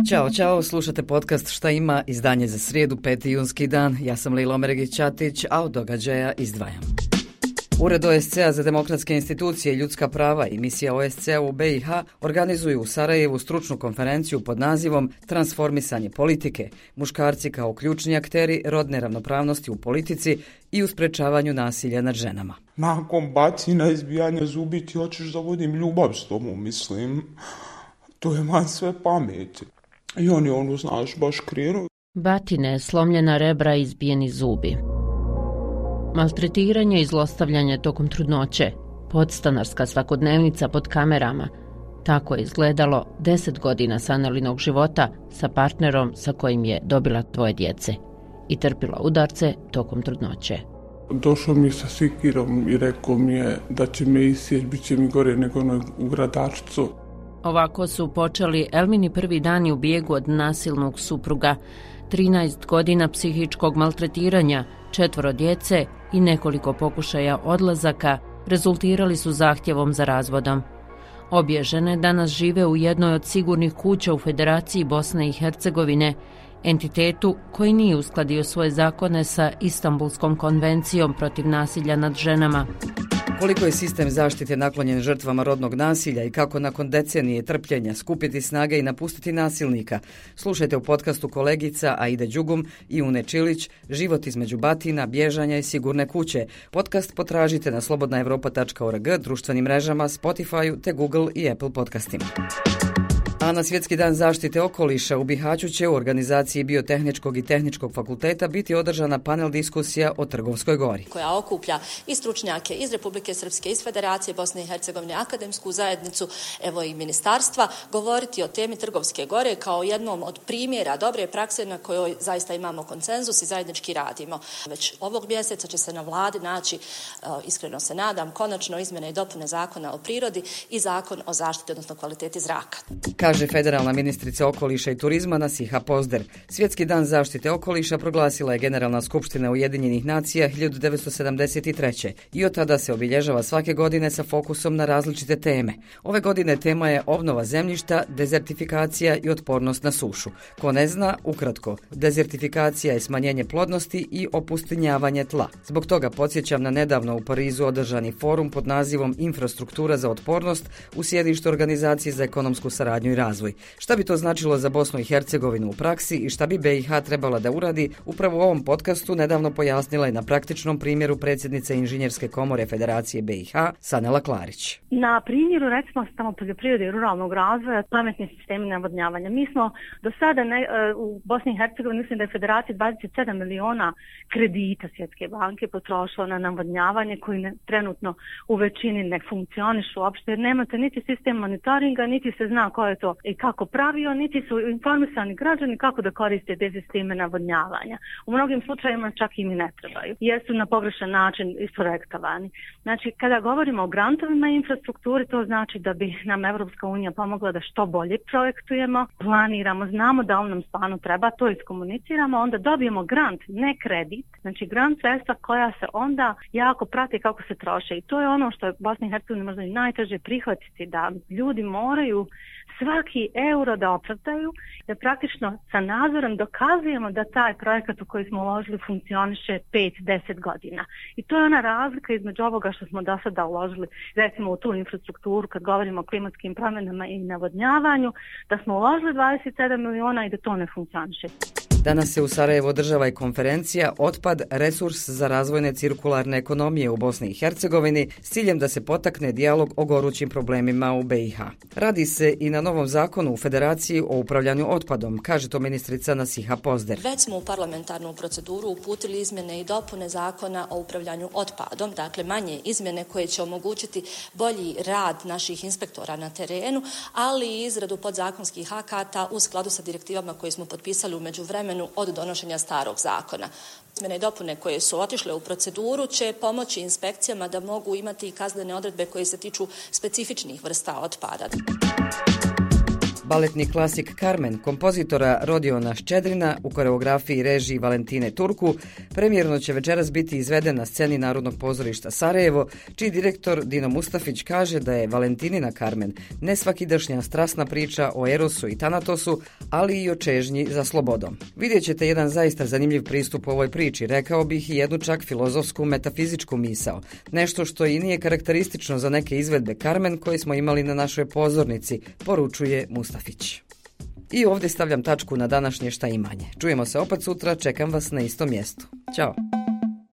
Ćao, slušate podcast Šta ima, izdanje za srijedu, 5. junski dan. Ja sam Lilo Mergić-Ćatić, a od događaja izdvajam. Ured OSCE-a za demokratske institucije i ljudska prava i misija OSCE-a u BiH organizuju u Sarajevu stručnu konferenciju pod nazivom Transformisanje politike, muškarci kao ključni akteri rodne ravnopravnosti u politici i u sprečavanju nasilja nad ženama. Nakon bacina izbijanja zubi ti hoćeš da vodim ljubav s tobom, mislim. To je van sve pameti. I oni znaš, baš krenu. Batine, slomljena rebra i izbijeni zubi. Maltretiranje i zlostavljanje tokom trudnoće. Podstanarska svakodnevnica pod kamerama. Tako je izgledalo 10 godina Sanelinog života sa partnerom sa kojim je dobila 2 djece i trpila udarce tokom trudnoće. Došao mi je sa sikirom i rekao mi je da će me isjeći, bit će mi gore nego u Gradačcu. Ovako su počeli Elmini prvi dani u bijegu od nasilnog supruga. 13 godina psihičkog maltretiranja, 4 djece i nekoliko pokušaja odlazaka rezultirali su zahtjevom za razvodom. Obje žene danas žive u jednoj od sigurnih kuća u Federaciji Bosne i Hercegovine, entitetu koji nije uskladio svoje zakone sa Istanbulskom konvencijom protiv nasilja nad ženama. Koliko je sistem zaštite naklonjen žrtvama rodnog nasilja i kako nakon decenije trpljenja skupiti snage i napustiti nasilnika? Slušajte u podcastu kolegica Aida Đugum i Une Čilić Život između batina, bježanja i sigurne kuće. Podcast potražite na slobodnaevropa.org, društvenim mrežama, Spotify te Google i Apple podcastima. A na Svjetski dan zaštite okoliša u Bihaću će u organizaciji Biotehničkog i Tehničkog fakulteta biti održana panel diskusija o Trgovskoj gori, koja okuplja i stručnjake iz Republike Srpske, iz Federacije Bosne i Hercegovine, akademsku zajednicu, evo i ministarstva, govoriti o temi Trgovske gore kao jednom od primjera dobre prakse na kojoj zaista imamo konsenzus i zajednički radimo. Već ovog mjeseca će se na vladi naći, iskreno se nadam, konačno izmjene i dopune Zakona o prirodi i Zakon o zaštiti, odnosno kvaliteti zraka. Kaže federalna ministrica okoliša i turizma Nasiha Pozder. Svjetski dan zaštite okoliša proglasila je Generalna skupština Ujedinjenih nacija 1973. i od tada se obilježava svake godine sa fokusom na različite teme. Ove godine tema je obnova zemljišta, dezertifikacija i otpornost na sušu. Ko ne zna, ukratko, dezertifikacija je smanjenje plodnosti i opustinjavanje tla. Zbog toga podsjećam na nedavno u Parizu održani forum pod nazivom Infrastruktura za otpornost u sjedištu Organizacije za ekonomsku saradnju i razvoj. Šta bi to značilo za Bosnu i Hercegovinu u praksi i šta bi BiH trebala da uradi, upravo u ovom podcastu nedavno pojasnila je na praktičnom primjeru predsjednice Inženjerske komore Federacije BiH Sanela Klarić. Na primjeru recimo samo poljoprivrede i ruralnog razvoja, pametni sistemi navodnjavanja. Mi smo do sada u Bosni i Hercegovini, mislim da je Federacija 27 miliona kredita Svjetske banke potrošila na navodnjavanje koji trenutno u većini ne funkcionišu uopšte jer nemate niti sistem monitoringa, niti se zna ko je to i kako pravio, niti su informisani građani kako da koriste te sisteme navodnjavanja. U mnogim slučajevima čak im i ne trebaju, jer su na pogrešan način isprojektovani. Znači, kada govorimo o grantovima i infrastrukturi, to znači da bi nam Evropska unija pomogla da što bolje projektujemo, planiramo, znamo da on nam stvarno treba, to iskomuniciramo, onda dobijemo grant, ne kredit, znači grant sredstva koja se onda jako prati kako se troše i to je ono što je Bosna i Hercegovina možda i najteže prihvatiti, da ljudi moraju svaki euro da opravdaju, da praktično sa nadzorom dokazujemo da taj projekat u koji smo uložili funkcioniše 5-10 godina. I to je ona razlika između ovoga što smo do sada uložili, recimo u tu infrastrukturu, kad govorimo o klimatskim promjenama i navodnjavanju, da smo uložili 27 miliona i da to ne funkcioniše. Danas se u Sarajevu održava i konferencija Otpad, resurs za razvojne cirkularne ekonomije u Bosni i Hercegovini s ciljem da se potakne dijalog o gorućim problemima u BiH. Radi se i na novom zakonu u Federaciji o upravljanju otpadom, kaže to ministrica Nasiha Pozder. Već smo u parlamentarnu proceduru uputili izmjene i dopune Zakona o upravljanju otpadom, dakle manje izmjene koje će omogućiti bolji rad naših inspektora na terenu, ali i izradu podzakonskih akata u skladu sa direktivama koje smo potpisali u međuvremenu od donošenja starog zakona. Izmjene i dopune koje su otišle u proceduru će pomoći inspekcijama da mogu imati i kaznene odredbe koje se tiču specifičnih vrsta otpada. Baletni klasik Carmen kompozitora Rodiona Ščedrina u koreografiji i režiji Valentine Turku premijerno će večeras biti izveden na sceni Narodnog pozorišta Sarajevo, čiji direktor Dino Mustafić kaže da je Valentinina Carmen nesvakidašnja strasna priča o Erosu i Tanatosu, ali i o čežnji za slobodom. Vidjet ćete jedan zaista zanimljiv pristup ovoj priči, rekao bih i jednu čak filozofsku metafizičku misao, nešto što i nije karakteristično za neke izvedbe Carmen koje smo imali na našoj pozornici, poručuje Mustafić. I ovdje stavljam tačku na današnje Šta imanje. Čujemo se opet sutra, čekam vas na istom mjestu. Ćao!